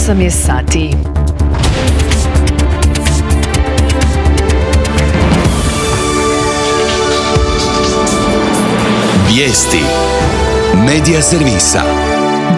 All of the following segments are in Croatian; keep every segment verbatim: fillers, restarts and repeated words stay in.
osam je sati. Vijesti Medija servisa.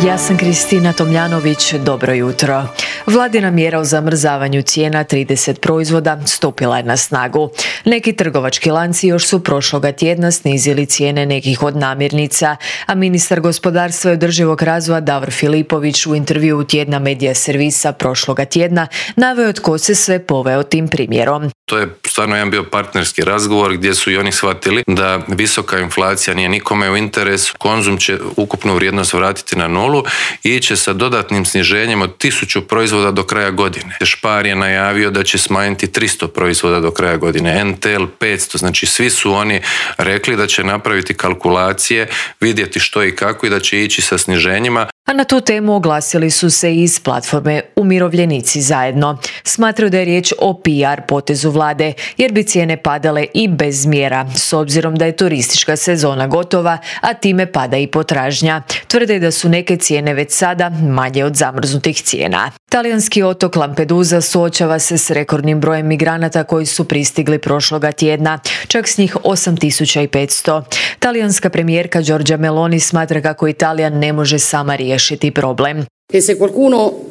Ja sam Kristina Tomljanović, dobro jutro. Vladina mjera o zamrzavanju cijena trideset proizvoda stupila je na snagu. Neki trgovački lanci još su prošloga tjedna snizili cijene nekih od namirnica, a ministar gospodarstva i održivog razvoja Davor Filipović u intervjuu tjedna Medija servisa prošloga tjedna naveo tko se sve poveo tim primjerom. To je stvarno jedan bio partnerski razgovor gdje su i oni shvatili da visoka inflacija nije nikome u interesu. Konzum će ukupnu vrijednost vratiti na nulu i iće sa dodatnim sniženjem od tisuću proizvoda do kraja godine. Spar je najavio da će smanjiti tristo proizvoda do kraja godine, N T L petsto, znači svi su oni rekli da će napraviti kalkulacije, vidjeti što i kako i da će ići sa sniženjima. A na tu temu oglasili su se i iz platforme Umirovljenici zajedno. Smatraju da je riječ o P R potezu vlade, jer bi cijene padale i bez mjera, s obzirom da je turistička sezona gotova, a time pada i potražnja. Tvrde da su neke cijene već sada manje od zamrznutih cijena. Talijanski otok Lampedusa suočava se s rekordnim brojem migranata koji su pristigli prošloga tjedna, čak s njih osam tisuća petsto. Talijanska premijerka Giorgia Meloni smatra kako Italija ne može sama riješiti problem.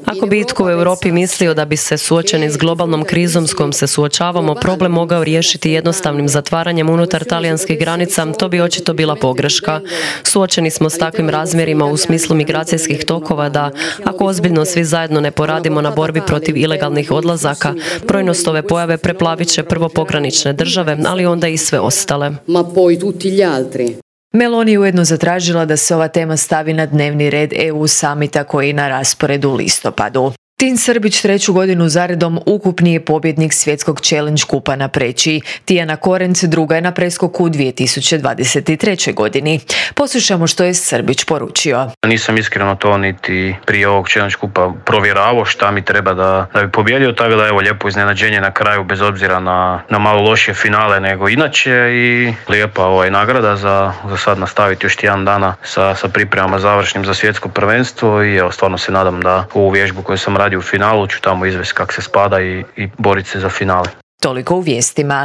Ako bi itko u Europi mislio da bi se suočeni s globalnom krizom s kojom se suočavamo problem mogao riješiti jednostavnim zatvaranjem unutar talijanskih granica, to bi očito bila pogreška. Suočeni smo s takvim razmjerima u smislu migracijskih tokova da, ako ozbiljno svi zajedno ne poradimo na borbi protiv ilegalnih odlazaka, brojnost ove pojave preplavit će prvo pogranične države, ali onda i sve ostale. Meloni je ujedno zatražila da se ova tema stavi na dnevni red E U samita koji je na rasporedu u listopadu. Tin Srbić treću godinu zaredom ukupni je pobjednik svjetskog challenge kupa na preći. Tijana Korenc druga je na preskoku u dvije tisuće dvadeset trećoj godini. Poslušamo što je Srbić poručio. Nisam iskreno to niti prije ovog challenge kupa provjeravao šta mi treba da, da bi pobjedio, tako da evo lijepo iznenađenje na kraju bez obzira na, na malo lošije finale nego inače i lijepa ovaj nagrada za, za sad nastaviti još tjedan dana sa, sa pripremama završnim za svjetsko prvenstvo i evo stvarno se nadam da ovu vježbu koju sam radio u finalu ću tamo izvesti kako se spada i, i boriti se za finale. Toliko u vijestima.